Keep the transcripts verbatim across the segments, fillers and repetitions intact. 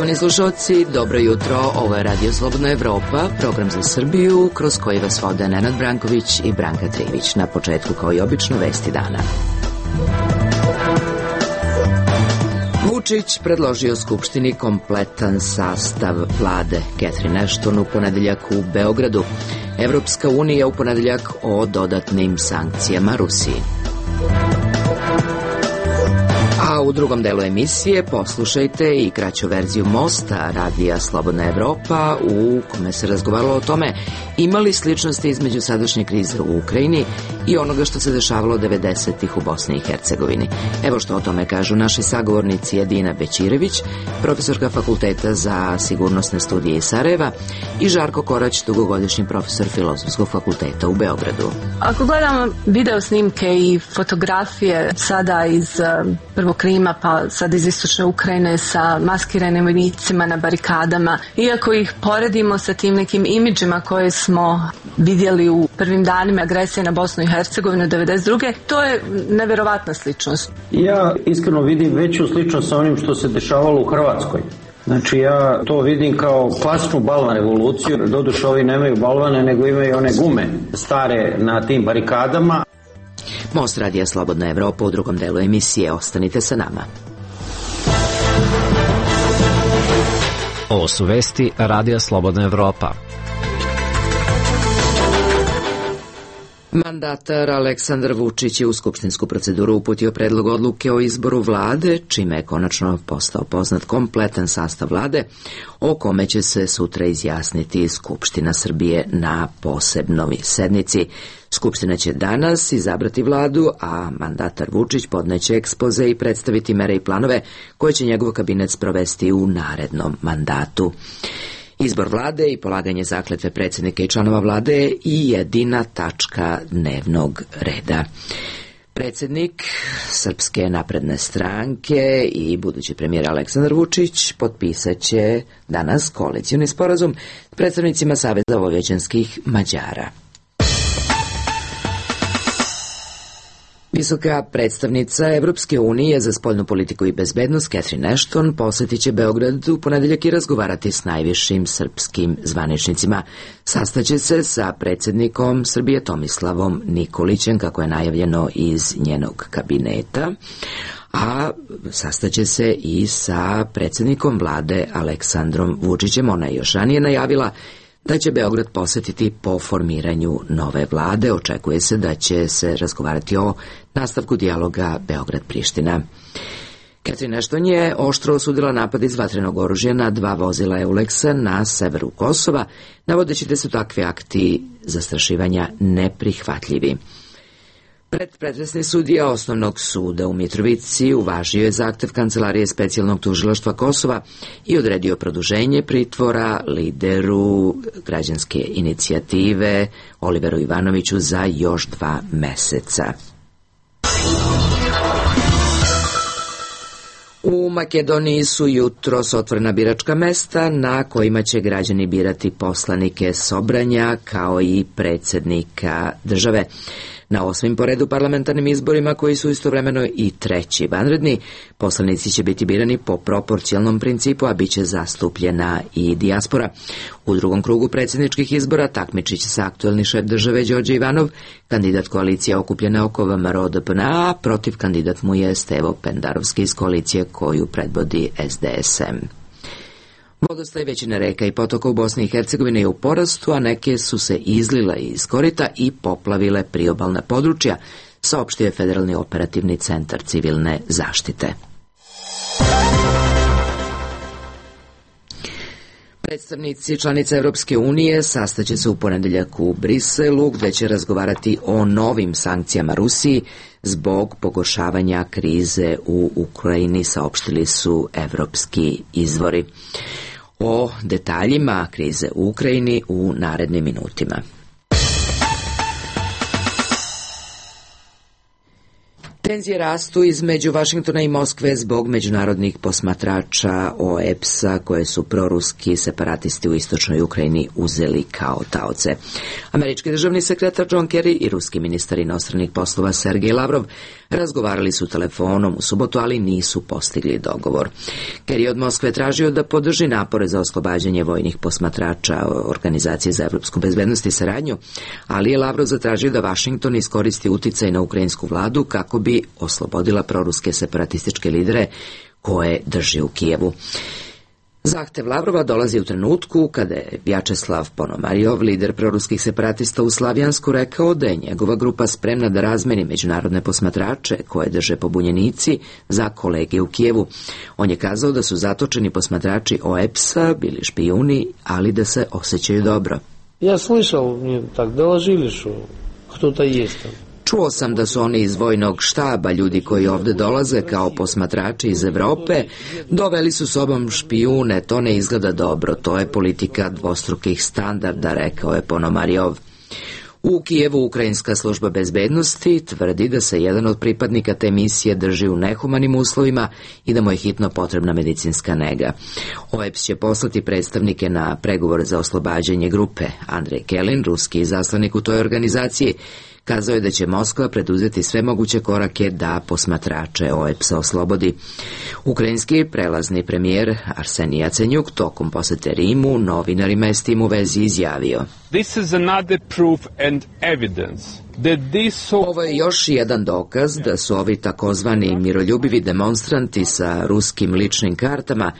Poštovani slušalci, dobro jutro, ovo je Radio Slobodna Evropa, program za Srbiju, kroz koji vas vode Nenad Branković i Branka Trivić. Na početku, kao i obično, vesti dana. Vučić predložio Skupštini kompletan sastav vlade. Catherine Ashton u ponedeljak u Beogradu. Evropska unija u ponedeljak o dodatnim sankcijama Rusiji. A u drugom delu emisije poslušajte i kraću verziju Mosta Radija Slobodna Evropa u kome se razgovaralo o tome ima li sličnosti između sadašnje krize u Ukrajini i onoga što se dešavalo devedesetih u Bosni i Hercegovini. Evo što o tome kažu naši sagovornici Edina Bećirević, profesorka Fakulteta za sigurnosne studije iz Sarajeva, i Žarko Korać, dugogodišnji profesor Filozofskog fakulteta u Beogradu. Ako gledamo video snimke i fotografije sada iz prvog Krima pa sad iz istočne Ukrajine sa maskiranim vojnicima na barikadama, iako ih poredimo sa tim nekim imidžima koje smo vidjeli u prvim danima agresije na Bosnu i Hercegovinu devedeset druge. To je neverovatna sličnost. Ja iskreno vidim veću sličnost sa onim što se dešavalo u Hrvatskoj. Znači ja to vidim kao klasičnu balvan revoluciju. Doduše ovi nemaju balvane, nego imaju one gume stare na tim barikadama. Most Radija Slobodna Evropa u drugom delu emisije. Ostanite sa nama. Ovo su vesti Radija Slobodna Evropa. Mandatar Aleksandar Vučić je u skupštinsku proceduru uputio predlog odluke o izboru vlade, čime je konačno postao poznat kompletan sastav vlade, o kome će se sutra izjasniti Skupština Srbije na posebnoj sednici. Skupština će danas izabrati vladu, a mandatar Vučić podneće ekspoze i predstaviti mere i planove koje će njegov kabinet sprovesti u narednom mandatu. Izbor vlade i polaganje zakletve predsjednika i članova vlade je i jedina tačka dnevnog reda. Predsjednik Srpske napredne stranke i budući premijer Aleksandar Vučić potpisat će danas koalicioni sporazum s predstavnicima Saveza vojvođanskih Mađara. Visoka predstavnica Evropske unije za spoljnu politiku i bezbednost Catherine Ashton posjetit će Beograd u ponedeljak i razgovarati s najvišim srpskim zvaničnicima. Sastaće se sa predsjednikom Srbije Tomislavom Nikolićem, kako je najavljeno iz njenog kabineta, a sastaće se i sa predsjednikom vlade Aleksandrom Vučićem. Ona je još ranije najavila da će Beograd posjetiti po formiranju nove vlade. Očekuje se da će se razgovarati o nastavku dijaloga Beograd-Priština. Catherine Ashton je oštro osudila napad iz vatrenog oružja na dva vozila Euleksa na severu Kosova, navodeći da su takvi akti zastrašivanja neprihvatljivi. Predpretresni sudija Osnovnog suda u Mitrovici uvažio je zahtev Kancelarije specijalnog tužilaštva Kosova i odredio produženje pritvora lideru građanske inicijative Oliveru Ivanoviću za još dva meseca. U Makedoniji su jutros otvorena biračka mesta na kojima će građani birati poslanike Sobranja kao i predsjednika države. Na osmim po redu parlamentarnim izborima, koji su istovremeno i treći vanredni, poslanici će biti birani po proporcionalnom principu, a bit će zastupljena i dijaspora. U drugom krugu predsjedničkih izbora takmičit će se aktuelni šef države Đorđe Ivanov, kandidat koalicije okupljene oko V M R O D P N, a protiv kandidat mu je Stevo Pendarovski iz koalicije koju predvodi S D S M. Vodostaj većine reka i potoka u Bosni i Hercegovini je u porastu, a neke su se izlile iz korita i poplavile priobalna područja, saopštio je Federalni operativni centar civilne zaštite. Predstavnici članica Evropske unije sastaće se u ponedeljak u Briselu, gde će razgovarati o novim sankcijama Rusiji zbog pogoršavanja krize u Ukrajini, saopštili su evropski izvori. O detaljima krize u Ukrajini u narednim minutima. Tenzije rastu između Vašingtona i Moskve zbog međunarodnih posmatrača O E P S-a koje su proruski separatisti u istočnoj Ukrajini uzeli kao taoce. Američki državni sekretar John Kerry i ruski ministar inostranih poslova Sergej Lavrov Razgovarali su telefonom u subotu, ali nisu postigli dogovor. Kerry je od Moskve tražio da podrži napore za oslobađanje vojnih posmatrača Organizacije za evropsku bezbednost i saradnju, ali je Lavrov zatražio da Vašington iskoristi uticaj na ukrajinsku vladu kako bi oslobodila proruske separatističke lidere koje drži u Kijevu. Zahtev Lavrova dolazi u trenutku kada je Vjačeslav Ponomarijov, lider proruskih separatista u Slavjansku, rekao da je njegova grupa spremna da razmeni međunarodne posmatrače koje drže pobunjenici za kolege u Kijevu. On je kazao da su zatočeni posmatrači O E P S-a bili špijuni, ali da se osjećaju dobro. Ja slišao, mi tak doложили što кто-то есть там. Čuo sam da su oni iz vojnog štaba, ljudi koji ovde dolaze kao posmatrači iz Evrope, doveli su sobom špijune, to ne izgleda dobro, to je politika dvostrukih standarda, rekao je Ponomarijov. U Kijevu ukrajinska služba bezbednosti tvrdi da se jedan od pripadnika te misije drži u nehumanim uslovima i da mu je hitno potrebna medicinska nega. O E P S će poslati predstavnike na pregovore za oslobađanje grupe. Andrej Kelin, ruski izaslanik u toj organizaciji, kazao je da će Moskva preduzeti sve moguće korake da posmatrače O E P S-a oslobodi. Ukrajinski prelazni premijer Arsenij Jacenjuk tokom posete Rimu novinarima je s tim u vezi izjavio: This is another proof and evidence that this... Ovo je još jedan dokaz da su ovi takozvani miroljubivi demonstranti sa ruskim ličnim kartama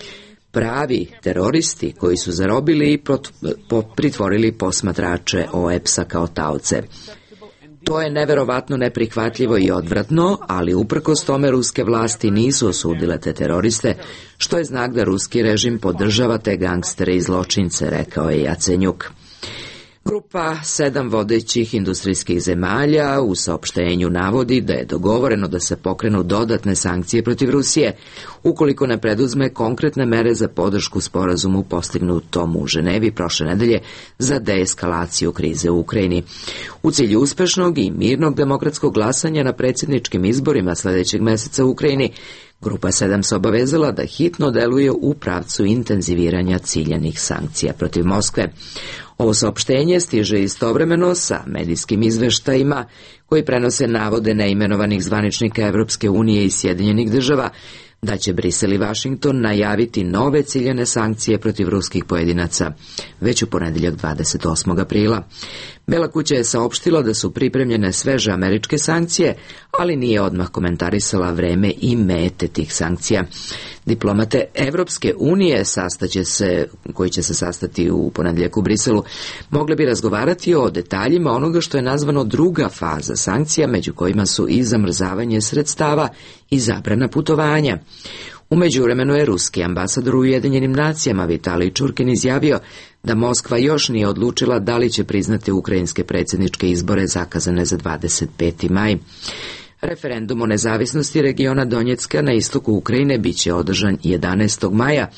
pravi teroristi koji su zarobili i pritvorili posmatrače O E P S-a kao taoce. To je neverovatno neprihvatljivo i odvratno, ali uprkos tome ruske vlasti nisu osudile te teroriste, što je znak da ruski režim podržava te gangstere i zločince, rekao je Jacenjuk. Grupa sedam vodećih industrijskih zemalja u saopštenju navodi da je dogovoreno da se pokrenu dodatne sankcije protiv Rusije ukoliko ne preduzme konkretne mere za podršku sporazumu postignutom u Ženevi prošle nedelje za deeskalaciju krize u Ukrajini. U cilju uspešnog i mirnog demokratskog glasanja na predsjedničkim izborima sledećeg meseca u Ukrajini, Grupa sedam se obavezala da hitno deluje u pravcu intenziviranja ciljanih sankcija protiv Moskve. Ovo saopštenje stiže istovremeno sa medijskim izveštajima koji prenose navode neimenovanih zvaničnika Evropske unije i Sjedinjenih država da će Brisel i Vašington najaviti nove ciljane sankcije protiv ruskih pojedinaca već u ponedeljak dvadeset osmog aprila. Bela kuća je saopštila da su pripremljene sveže američke sankcije, ali nije odmah komentarisala vreme i mete tih sankcija. Diplomate Evropske unije sastaće se, koji će se sastati u ponedeljak u Briselu, mogle bi razgovarati o detaljima onoga što je nazvano druga faza sankcija, među kojima su i zamrzavanje sredstava i zabrana putovanja. U međuvremenu je ruski ambasador u Ujedinjenim nacijama Vitalij Čurkin izjavio da Moskva još nije odlučila da li će priznati ukrajinske predsjedničke izbore zakazane za dvadeset peti maj. Referendum o nezavisnosti regiona Donjecka na istoku Ukrajine biće održan jedanaestog maja,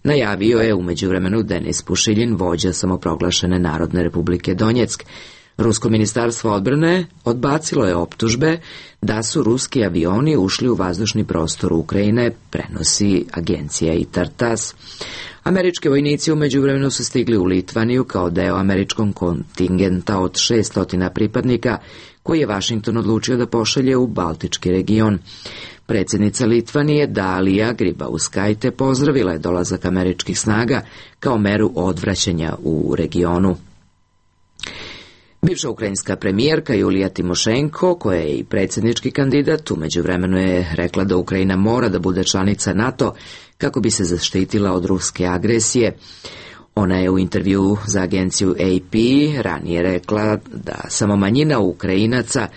najavio je u međuvremenu Denis Pušiljin, vođa samoproglašene Narodne republike Donjeck. Rusko ministarstvo odbrane odbacilo je optužbe da su ruski avioni ušli u vazdušni prostor Ukrajine, prenosi agencija I T A R TASS. Američki vojnici u međuvremenu su stigli u Litvaniju kao deo američkog kontingenta od šesto pripadnika koji je Vašington odlučio da pošalje u Baltički region. Predsjednica Litvanije Dalija Grybauskaite pozdravila je dolazak američkih snaga kao meru odvraćanja u regionu. Bivša ukrajinska premijerka Julija Timošenko, koja je i predsjednički kandidat, u međuvremenu je rekla da Ukrajina mora da bude članica NATO kako bi se zaštitila od ruske agresije. Ona je u intervju za agenciju A P ranije rekla da samo manjina Ukrajinaca,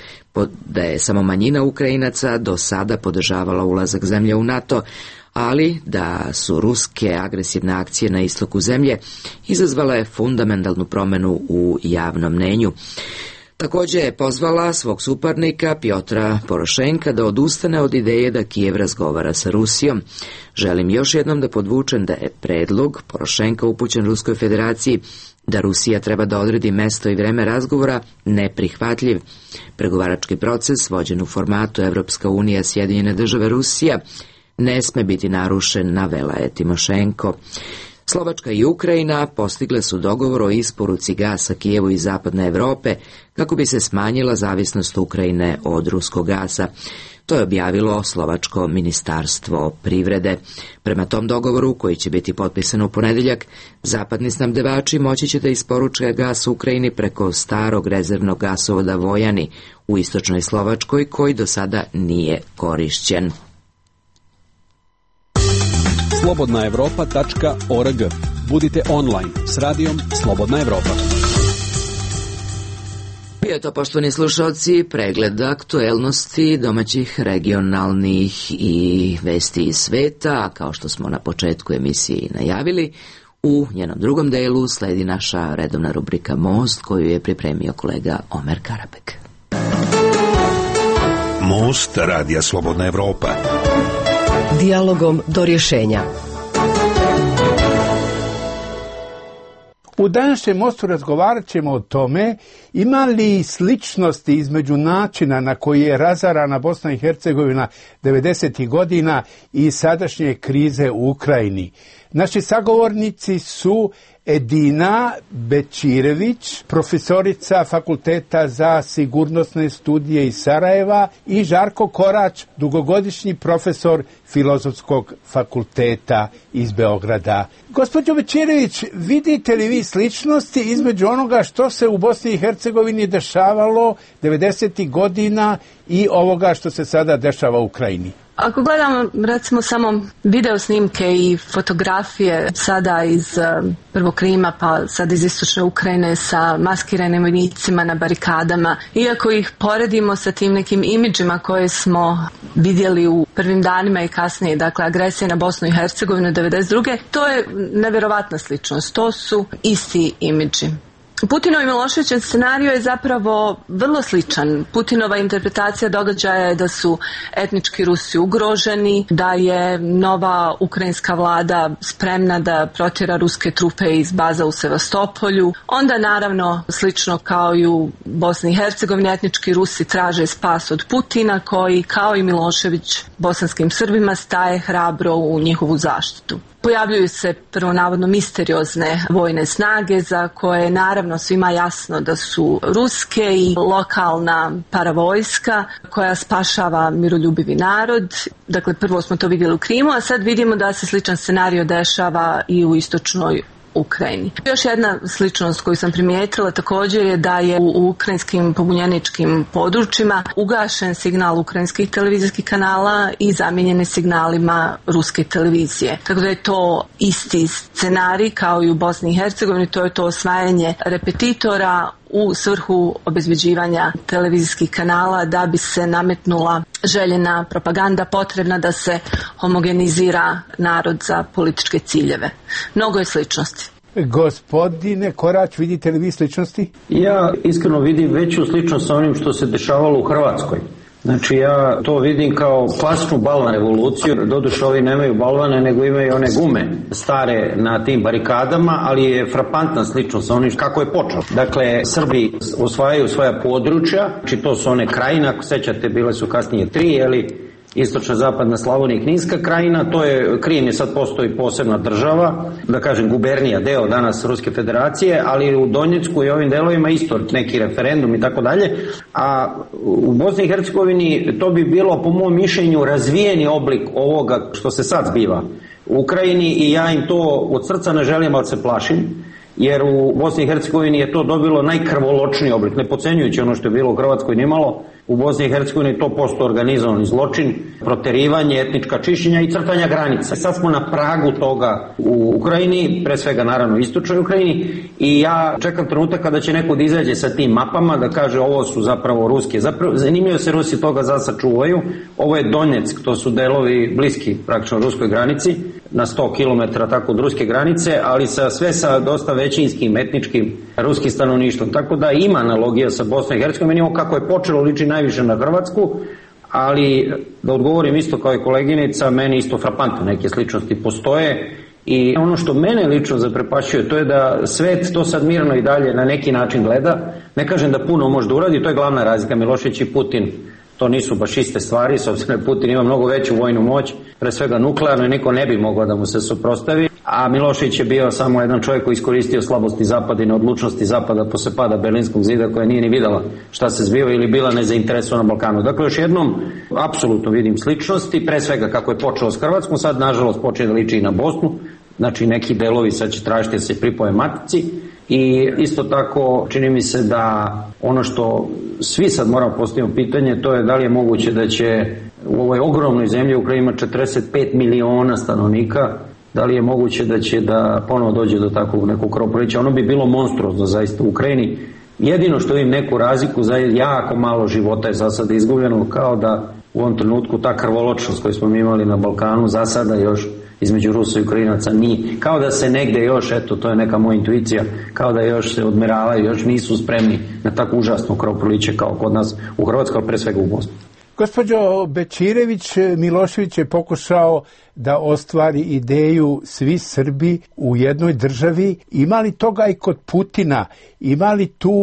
da je samo manjina Ukrajinaca do sada podržavala ulazak zemlje u NATO, ali da su ruske agresivne akcije na istoku zemlje izazvale fundamentalnu promjenu u javnom mnenju. Također je pozvala svog suparnika Pjotra Porošenka da odustane od ideje da Kijev razgovara sa Rusijom. Želim još jednom da podvučem da je predlog Porošenka upućen Ruskoj federaciji da Rusija treba da odredi mesto i vreme razgovora neprihvatljiv. Pregovarački proces vođen u formatu Evropska unija, Sjedinjene države, Rusija ne sme biti narušen, navela je Timošenko. Slovačka i Ukrajina postigle su dogovor o isporuci gasa Kijevu iz zapadne Evrope kako bi se smanjila zavisnost Ukrajine od ruskog gasa. To je objavilo slovačko ministarstvo privrede. Prema tom dogovoru, koji će biti potpisan u ponedeljak, zapadni snabdevači moći će da isporuče gas Ukrajini preko starog rezervnog gasovoda Vojani u istočnoj Slovačkoj, koji do sada nije korišćen. slobodna evropa tačka org. Budite online s radijom Slobodna Evropa. Bio je to, poštovani slušalci, pregled aktuelnosti domaćih, regionalnih i vesti iz sveta, a kao što smo na početku emisije najavili, u njenom drugom delu sledi naša redovna rubrika Most, koju je pripremio kolega Omer Karabek. Most radija Slobodna Evropa. Dijalogom do rješenja. U današnjem mostu razgovarat ćemo o tome ima li sličnosti između načina na koji je razarana Bosna i Hercegovina devedesetih godina i sadašnje krize u Ukrajini. Naši sagovornici su Edina Bećirević, profesorica Fakulteta za sigurnosne studije iz Sarajeva, i Žarko Korać, dugogodišnji profesor Filozofskog fakulteta iz Beograda. Gospođo Bećirević, vidite li vi sličnosti između onoga što se u Bosni i Hercegovini dešavalo devedesetih godina i ovoga što se sada dešava u Ukrajini? Ako gledamo recimo samo video snimke i fotografije sada iz prvog Krima pa sad iz istočne Ukrajine sa maskiranim vojnicima na barikadama, iako ih poredimo sa tim nekim imidžima koje smo vidjeli u prvim danima i kasnije, dakle agresije na Bosnu i Hercegovinu devedeset druge. To je nevjerovatna sličnost, to su isti imidži. Putinov i Miloševićev scenario je zapravo vrlo sličan. Putinova interpretacija događaja je da su etnički Rusi ugroženi, da je nova ukrajinska vlada spremna da protjera ruske trupe iz baza u Sevastopolju. Onda naravno, slično kao i u Bosni i Hercegovini, etnički Rusi traže spas od Putina, koji kao i Milošević bosanskim Srbima staje hrabro u njihovu zaštitu. Pojavljuju se prvo navodno misteriozne vojne snage za koje je naravno svima jasno da su ruske i lokalna paravojska koja spašava miroljubivi narod. Dakle, prvo smo to vidjeli u Krimu, a sad vidimo da se sličan scenario dešava i u istočnoj Ukrajini. Još jedna sličnost koju sam primijetila također je da je u ukrajinskim pobunjeničkim područjima ugašen signal ukrajinskih televizijskih kanala i zamijenjeni signalima ruske televizije. Tako da je to isti scenarij kao i u Bosni i Hercegovini, to je to osvajanje repetitora u svrhu obezbeđivanja televizijskih kanala da bi se nametnula željena propaganda potrebna da se homogenizira narod za političke ciljeve. Mnogo je sličnosti. Gospodine Korać, vidite li vi sličnosti? Ja iskreno vidim veću sličnost sa onim što se dešavalo u Hrvatskoj. Znači ja to vidim kao klasičnu balvan revoluciju, doduše ovi nemaju balvane nego imaju one gume stare na tim barikadama, ali je frapantna sličnost sa onim kako je počelo. Dakle, Srbi osvajaju svoja područja, znači to su one krajine, ako sećate bile su kasnije tri, jeli, istočna, zapadna Slavonija i Kninska krajina, to je, Krim je sad postoji posebna država, da kažem gubernija, deo danas Ruske federacije, ali u Donjecku i ovim delovima isto neki referendum i tako dalje, a u Bosni i Hercegovini to bi bilo po mom mišljenju razvijeni oblik ovoga što se sad zbiva u Ukrajini i ja im to od srca ne želim, ali se plašim, jer u Bosni i Hercegovini je to dobilo najkrvoločniji oblik, ne podcenjujući ono što je bilo u Hrvatskoj nimalo. U Bosni i Hercegovini to postoji organizovani zločin, proterivanje, etnička čišćenja i crtanja granica. Sad smo na pragu toga u Ukrajini, pre svega naravno u istočnoj Ukrajini, i ja čekam trenutak kada će neko da izađe sa tim mapama, da kaže ovo su zapravo ruske. Zapravo, zanimljivo se Rusi toga zasa čuvaju. Ovo je Donjeck, to su delovi bliski praktično ruskoj granici, na sto kilometara tako od ruske granice, ali sa, sve sa dosta većinskim, etničkim ruskim stanovništvom. Tako da ima analogija sa Bosnom i Hercegovinom, kako je počelo liči najviše na Hrvatsku, ali da odgovorim isto kao i koleginica, meni isto frapantno neke sličnosti postoje i ono što mene lično zaprepašćuje to je da svet to sad mirno i dalje na neki način gleda. Ne kažem da puno može da uradi, to je glavna razlika. Milošević i Putin, to nisu baš iste stvari, s obzirom da Putin ima mnogo veću vojnu moć, pre svega nuklearno i niko ne bi mogao da mu se suprotstavi, a Milošević je bio samo jedan čovjek koji iskoristio slabosti Zapada i neodlučnosti Zapada posle pada Berlinskog zida, koja nije ni videla šta se zbiva ili bila nezainteresovana na Balkanu. Dakle, još jednom, apsolutno vidim sličnosti, pre svega kako je počeo s Hrvatskom, sad nažalost počeo da liči i na Bosnu, znači neki delovi sad će tražiti da se pripoje matici i isto tako čini mi se da ono što svi sad moramo postaviti pitanje, to je da li je moguće da će u ovoj ogromnoj zemlji u kojoj ima četrdeset pet miliona stanovnika, da li je moguće da će da ponovo dođe do takvog nekog krvoprolića. Ono bi bilo monstruozno zaista u Ukrajini. Jedino što im neku razliku, za jako malo života je za sada izgubljeno, kao da u ovom trenutku ta krvoločnost koju smo imali na Balkanu za sada još između Rusa i Ukrajinaca nije. Kao da se negde još, eto, to je neka moja intuicija, kao da još se odmeravaju, još nisu spremni na tako užasno krvoproliće kao kod nas u Hrvatskoj, ali pre svega u Bosni. Gospođo Bećirević, Milošević je pokušao da ostvari ideju svi Srbi u jednoj državi. Ima li toga i kod Putina? Ima li tu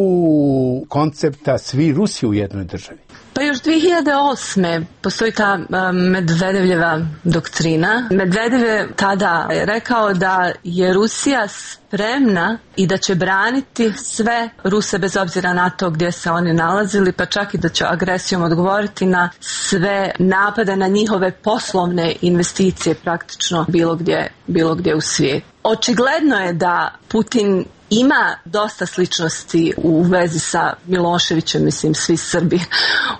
koncepta svi Rusi u jednoj državi? Pa još dvije hiljade osme postoji ta Medvedevljeva doktrina. Medvedev je tada rekao da je Rusija spremna i da će braniti sve Ruse bez obzira na to gdje se oni nalazili, pa čak i da će agresijom odgovoriti na sve napade na njihove poslovne investicije praktično bilo gdje, bilo gdje u svijetu. Očigledno je da Putin ima dosta sličnosti u vezi sa Miloševićem, mislim svi Srbi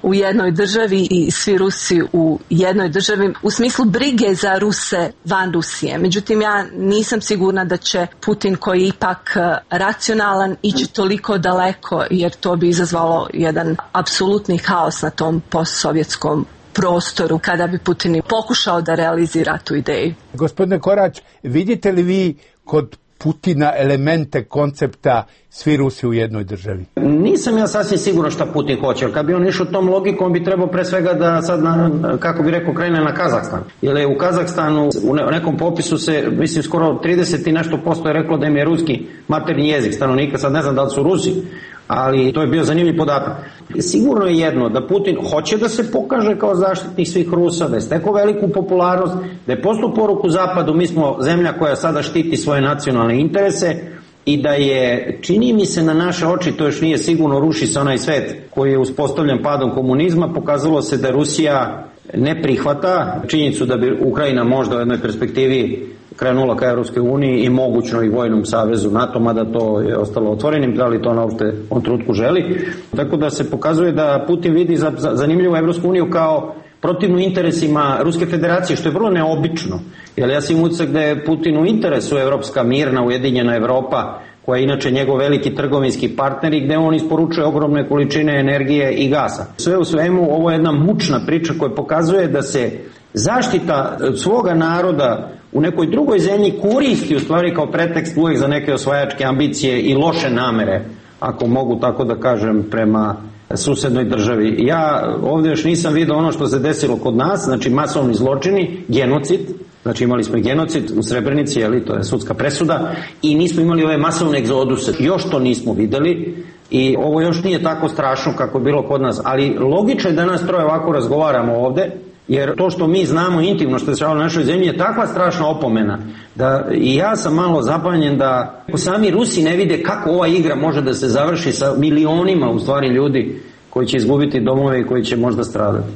u jednoj državi i svi Rusi u jednoj državi u smislu brige za Ruse van Rusije. Međutim, ja nisam sigurna da će Putin, koji je ipak racionalan, ići toliko daleko, jer to bi izazvalo jedan apsolutni haos na tom postsovjetskom prostoru kada bi Putin pokušao da realizira tu ideju. Gospodine Korać, vidite li vi kod Putina elemente koncepta svi Rusi u jednoj državi? Nisam ja sasvim sigurno šta Putin hoće, jer kad bi on išao tom logikom bi trebao pre svega da sad, na, kako bi rekao, krene na Kazahstan. Jer je u Kazahstanu u nekom popisu se, mislim, skoro trideset i nešto posto je reklo da im je ruski maternji jezik stanovnika, sad ne znam da li su Rusi, ali to je bio zanimljiv podatak. Sigurno je jedno, da Putin hoće da se pokaže kao zaštitnik svih Rusa, da je stekao veliku popularnost, da je poslao poruku Zapadu, mi smo zemlja koja sada štiti svoje nacionalne interese i da je, čini mi se na naše oči, to još nije sigurno, ruši se onaj svet koji je uspostavljen padom komunizma, pokazalo se da Rusija ne prihvata činjenicu da bi Ukrajina možda u jednoj perspektivi krenula ka Europskoj uniji i mogućno i vojnom savezu NATO, mada to je ostalo otvorenim, da li to ona uopšte u ovom trenutku želi. Tako da se pokazuje da Putin vidi za, za, zanimljivu Europsku uniju kao protivnu interesima Ruske federacije, što je vrlo neobično. Jer ja sam imam utisak da je Putinu interesu Evropska mirna, ujedinjena Evropa, koja je inače njegov veliki trgovinski partner i gde on isporučuje ogromne količine energije i gasa. Sve u svemu, ovo je jedna mučna priča koja pokazuje da se zaštita svoga naroda u nekoj drugoj zemlji koristi u stvari kao pretekst uvijek za neke osvajačke ambicije i loše namere, ako mogu tako da kažem, prema susednoj državi. Ja ovdje još nisam vidio ono što se desilo kod nas, znači masovni zločini, genocid, znači imali smo i genocid u Srebrenici, ali to je sudska presuda, i nismo imali ove masovne egzoduse, još to nismo videli i ovo još nije tako strašno kako je bilo kod nas, ali logično je da nas troje ovako razgovaramo ovde, jer to što mi znamo intimno što se dešavalo na našoj zemlji je takva strašna opomena da i ja sam malo zapanjen da sami Rusi ne vide kako ova igra može da se završi sa milionima u stvari ljudi koji će izgubiti domove i koji će možda stradati.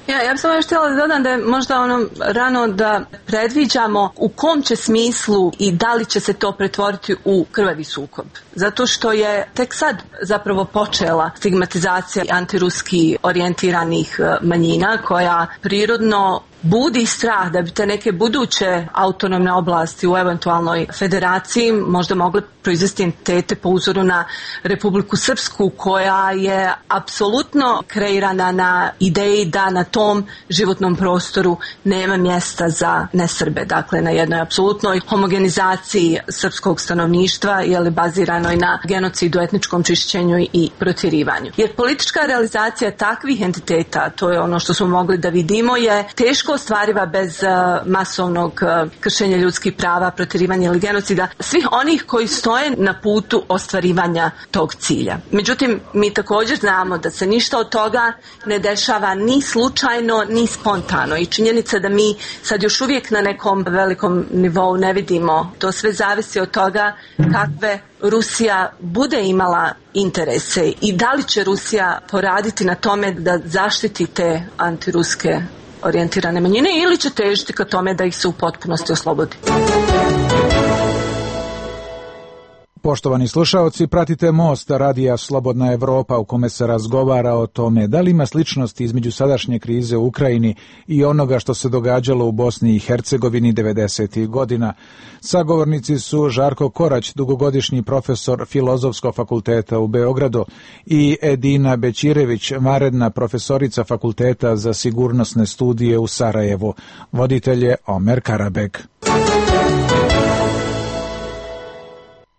Ja, ja bih samo još htjela da dodam da je možda ono rano da predviđamo u kom će smislu i da li će se to pretvoriti u krvavi sukob. Zato što je tek sad zapravo počela stigmatizacija antiruski orijentiranih manjina koja prirodno budi strah da bi te neke buduće autonomne oblasti u eventualnoj federaciji možda mogle proizvesti entitete po uzoru na Republiku Srpsku, koja je apsolutno kreirana na ideji da na tom životnom prostoru nema mjesta za nesrbe. Dakle, na jednoj apsolutnoj homogenizaciji srpskog stanovništva, je baziranoj na genocidu, etničkom čišćenju i protjerivanju. Jer politička realizacija takvih entiteta, to je ono što smo mogli da vidimo, je teško ostvariva bez masovnog kršenja ljudskih prava, protjerivanja ili genocida, svih onih koji stoje na putu ostvarivanja tog cilja. Međutim, mi također znamo da se ništa od toga ne dešava ni slučajno, ni spontano. I činjenica da mi sad još uvijek na nekom velikom nivou ne vidimo, to sve zavisi od toga kakve Rusija bude imala interese i da li će Rusija poraditi na tome da zaštiti te antiruske orijentirane manjine ili će težiti ka tome da ih se u potpunosti oslobodi. Poštovani slušaoci, pratite Most radija Slobodna Evropa u kome se razgovara o tome da li ima sličnosti između sadašnje krize u Ukrajini i onoga što se događalo u Bosni i Hercegovini devedesetih godina. Sagovornici su Žarko Korać, dugogodišnji profesor Filozofskog fakulteta u Beogradu, i Edina Bećirević, vanredna profesorica Fakulteta za sigurnosne studije u Sarajevu. Voditelj je Omer Karabek.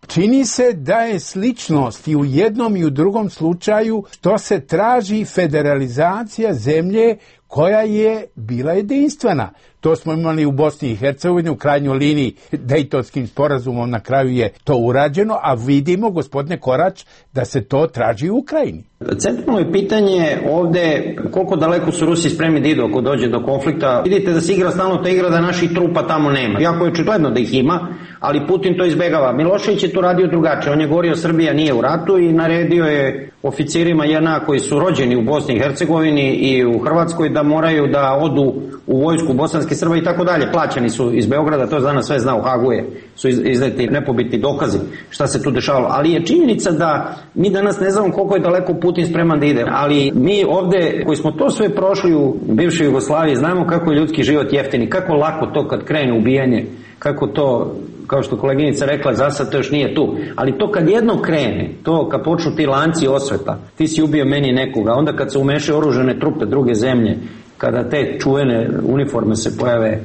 Čini se da je sličnost i u jednom i u drugom slučaju što se traži federalizacija zemlje koja je bila jedinstvena. To smo imali u Bosni i Hercegovini, u krajnjoj liniji Dejtonskim sporazumom na kraju je to urađeno, a vidimo, gospodine Korać, da se to traži u Ukrajini. Centralno je pitanje ovde koliko daleko su Rusi spremni da idu ako dođe do konflikta. Vidite da se igra stalno ta igra da naših trupa tamo nema. Jako je očigledno da ih ima, ali Putin to izbegava. Milošević je to radio drugačije. On je govorio Srbija nije u ratu i naredio je oficirima J N A koji su rođeni u Bosni i Hercegovini i u Hrvatskoj da moraju da odu u vojsku bosanske Srba i tako dalje. Plaćani su iz Beograda, to danas sve zna, u Hagu je, su izneti nepobitni dokazi šta se tu dešavalo. Ali je činjenica da mi danas ne znamo koliko je daleko Putin spreman da ide. Ali mi ovde koji smo to sve prošli u bivšoj Jugoslaviji znamo kako je ljudski život jeftini, kako lako to kad krene ubijanje, kako to, kao što koleginica rekla, za sad to još nije tu. Ali to kad jedno krene, to kad počnu ti lanci osveta, ti si ubio meni nekoga, onda kad se umešaju oružane trupe druge zemlje, kada te čuvene uniforme se pojave,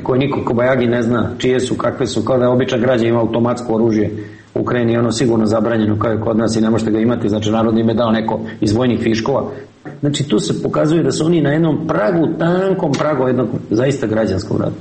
koje niko Kobajagi ne zna čije su, kakve su, kao da običan građan ima automatsko oružje u Ukrajini je ono sigurno zabranjeno kao je kod nas i ne možete ga imati, znači narod im je dao neko iz vojnih viškova. Znači tu se pokazuje da su oni na jednom pragu, tankom pragu jednog zaista građanskog rata.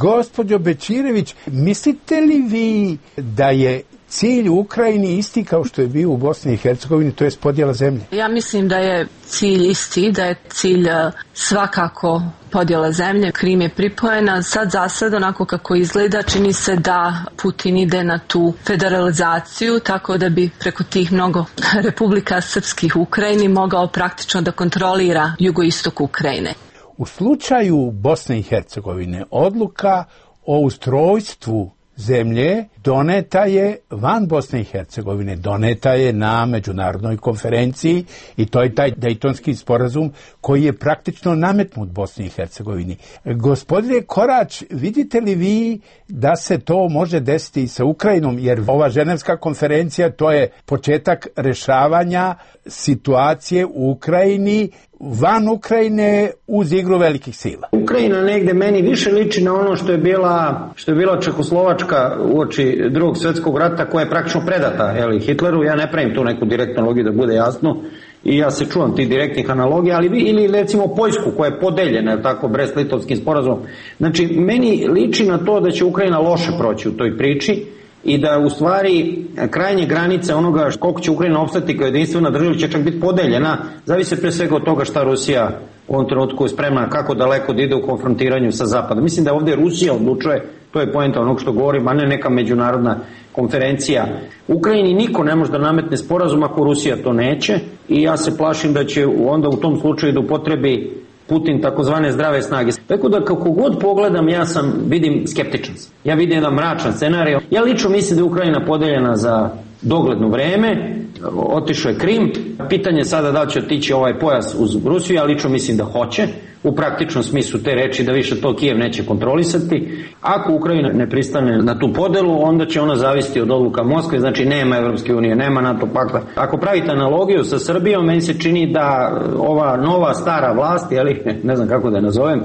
Gospođo Bećirević, mislite li vi da je cilj u Ukrajini isti kao što je bio u Bosni i Hercegovini, to je podjela zemlje? Ja mislim da je cilj isti, da je cilj svakako podjela zemlje. Krim je pripojena. Sad za sad, onako kako izgleda, čini se da Putin ide na tu federalizaciju, tako da bi preko tih mnogo republika srpskih u Ukrajini mogao praktično da kontrolira jugoistok Ukrajine. U slučaju Bosne i Hercegovine odluka o ustrojstvu zemlje doneta je van Bosne i Hercegovine, doneta je na međunarodnoj konferenciji i to je taj Dejtonski sporazum koji je praktično nametnut Bosni i Hercegovini. Gospodine Korać, vidite li vi da se to može desiti i sa Ukrajinom, jer ova ženevska konferencija to je početak rešavanja situacije u Ukrajini, van Ukrajine uz igru velikih sila. Ukrajina negde meni više liči na ono što je bila, što je bila Čehoslovačka uoči drugog svjetskog rata koja je praktično predata jeli, Hitleru. Ja ne pravim tu neku direktnu analogiju da bude jasno i ja se čuvam tih direktnih analogija, ali vi, ili recimo Poljsku koja je podeljena tako Brest-Litovskim sporazumom. Znači meni liči na to da će Ukrajina loše proći u toj priči i da u stvari krajnje granice onoga koliko će Ukrajina opstati kao jedinstvena država će čak biti podeljena, zavise pre svega od toga šta Rusija u ovom trenutku je spremna, kako daleko da ide u konfrontiranju sa Zapadom. Mislim da ovdje Rusija odlučuje, to je poenta onog što govorim, a ne neka međunarodna konferencija. Ukrajini niko ne može da nametne sporazum ako Rusija to neće i ja se plašim da će onda u tom slučaju da upotrebi Putin takozvane zdrave snage. Tako da kako god pogledam, ja sam, vidim skeptičan. Ja vidim jedan mračan scenarij. Ja lično mislim da je Ukrajina podeljena za dogledno vreme, otišao je Krim. Pitanje sada da li će otići ovaj pojas uz Rusiju, ja lično mislim da hoće. U praktičnom smislu te reči da više to Kijev neće kontrolisati. Ako Ukrajina ne pristane na tu podelu, onda će ona zavisiti od odluka Moskve, znači nema Evropske unije, nema NATO pakta. Ako pravite analogiju sa Srbijom, meni se čini da ova nova stara vlast, jeli, ne znam kako da je nazovem,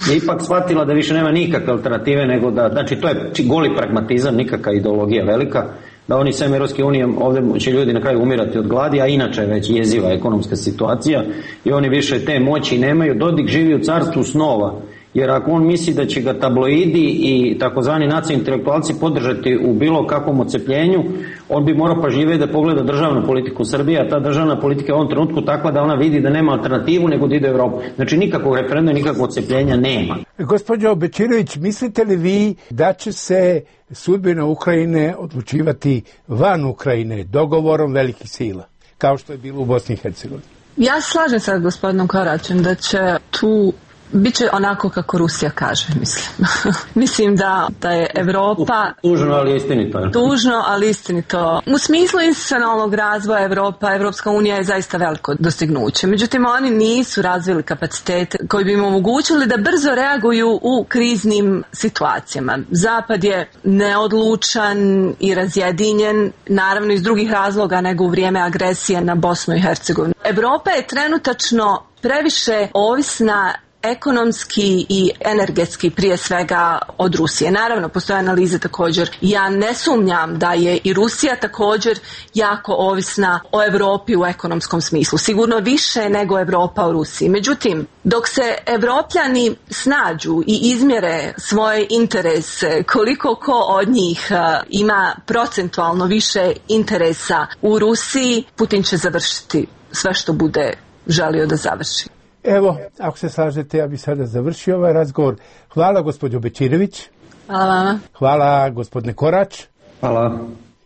je ipak shvatila da više nema nikakve alternative, nego da, znači to je goli pragmatizam, nikakva ideologija velika, da oni sem Evropske unije, ovdje će ljudi na kraju umirati od gladi, a inače je već jeziva ekonomska situacija i oni više te moći nemaju. Dodik živi u carstvu snova Jer ako on misli da će ga tabloidi i takozvani nacionalni intelektualci podržati u bilo kakvom ocepljenju, on bi morao pažljivije da pogleda državnu politiku Srbije, a ta državna politika je u ovom trenutku takva da ona vidi da nema alternativu nego da ide u Evropu. Znači nikakvog referenduma, nikakvog ocepljenja nema. Gospođo Bečirović, mislite li vi da će se sudbina Ukrajine odlučivati van Ukrajine dogovorom velikih sila, kao što je bilo u Bosni i Hercegovini? Ja slažem sa gospodinom Koraćem da će tu biće onako kako Rusija kaže, mislim. Mislim da, da je Evropa... Tužno, ali istinito. Tužno, ali istinito. U smislu institucionalnog razvoja Evropa, Evropska unija je zaista veliko dostignuće. Međutim, oni nisu razvili kapacitete koji bi im omogućili da brzo reaguju u kriznim situacijama. Zapad je neodlučan i razjedinjen, naravno iz drugih razloga nego u vrijeme agresije na Bosnu i Hercegovinu. Evropa je trenutačno previše ovisna ekonomski i energetski prije svega od Rusije. Naravno, postoje analize također. Ja ne sumnjam da je i Rusija također jako ovisna o Evropi u ekonomskom smislu. Sigurno više nego Evropa o Rusiji. Međutim, dok se Evropljani snađu i izmjere svoje interese, koliko ko od njih ima procentualno više interesa u Rusiji, Putin će završiti sve što bude želio da završi. Evo, ako se slažete, ja bih sada završio ovaj razgovor. Hvala gospođo Bečirović. Hvala vama. Hvala gospodine Korać. Hvala.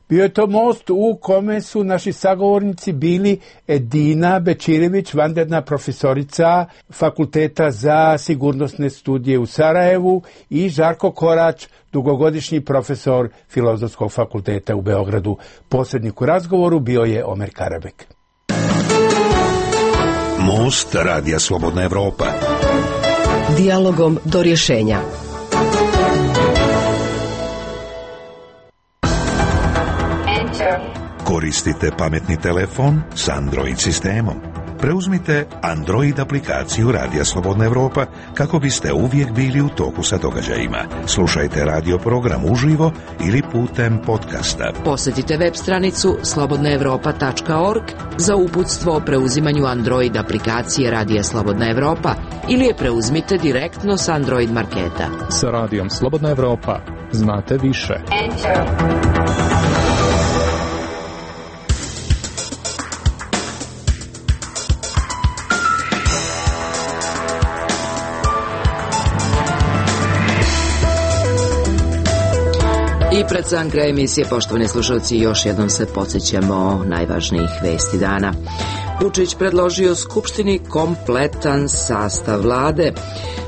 Bio je to most u kome su naši sagovornici bili Edina Bečirović, vanredna profesorica Fakulteta za sigurnosne studije u Sarajevu, i Žarko Korać, dugogodišnji profesor Filozofskog fakulteta u Beogradu. Posrednik u razgovoru bio je Omer Karabek. Most Radija Slobodna Evropa. Dijalogom do rješenja. Koristite pametni telefon s Android sistemom. Preuzmite Android aplikaciju Radija Slobodna Evropa kako biste uvijek bili u toku sa događajima. Slušajte radio program uživo ili putem podcasta. Posjetite web stranicu slobodna evropa tačka org za uputstvo o preuzimanju Android aplikacije Radija Slobodna Evropa ili je preuzmite direktno s Android marketa. Sa Radijom Slobodna Evropa znate više. Enter. I pred sam kraj emisije, poštovani slušalci, još jednom se podsjećamo najvažnijih vesti dana. Vučić predložio Skupštini kompletan sastav vlade.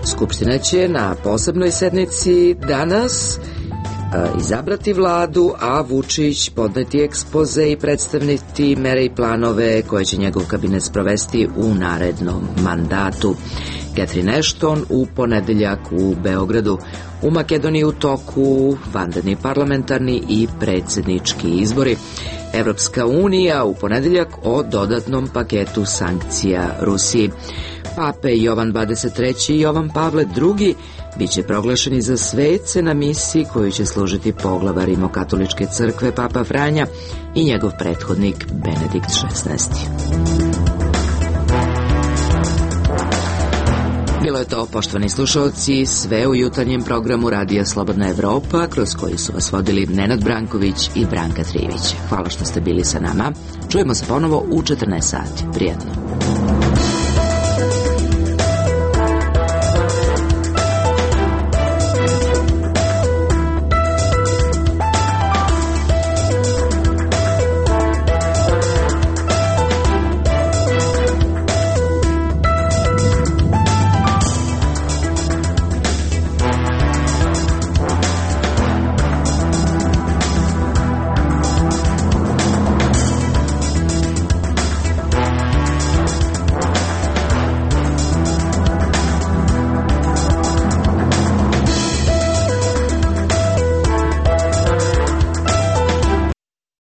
Skupština će na posebnoj sednici danas izabrati vladu, a Vučić podneti ekspoze i predstaviti mere i planove koje će njegov kabinet sprovesti u narednom mandatu. Catherine Ashton u ponedeljak u Beogradu. U Makedoniji u toku vanredni parlamentarni i predsjednički izbori. Evropska unija u ponedeljak o dodatnom paketu sankcija Rusiji. Pape Jovan dvadeset treći i Jovan Pavle drugi biće proglašeni za svece na misiji koju će služiti poglavar Rimokatoličke crkve Papa Franja i njegov prethodnik Benedikt šesnaesti. Bilo je to, poštovani slušalci, sve u jutarnjem programu Radija Slobodna Evropa, kroz koji su vas vodili Nenad Branković i Branka Trivić. Hvala što ste bili sa nama. Čujemo se ponovo u četrnaest sati. Prijetno.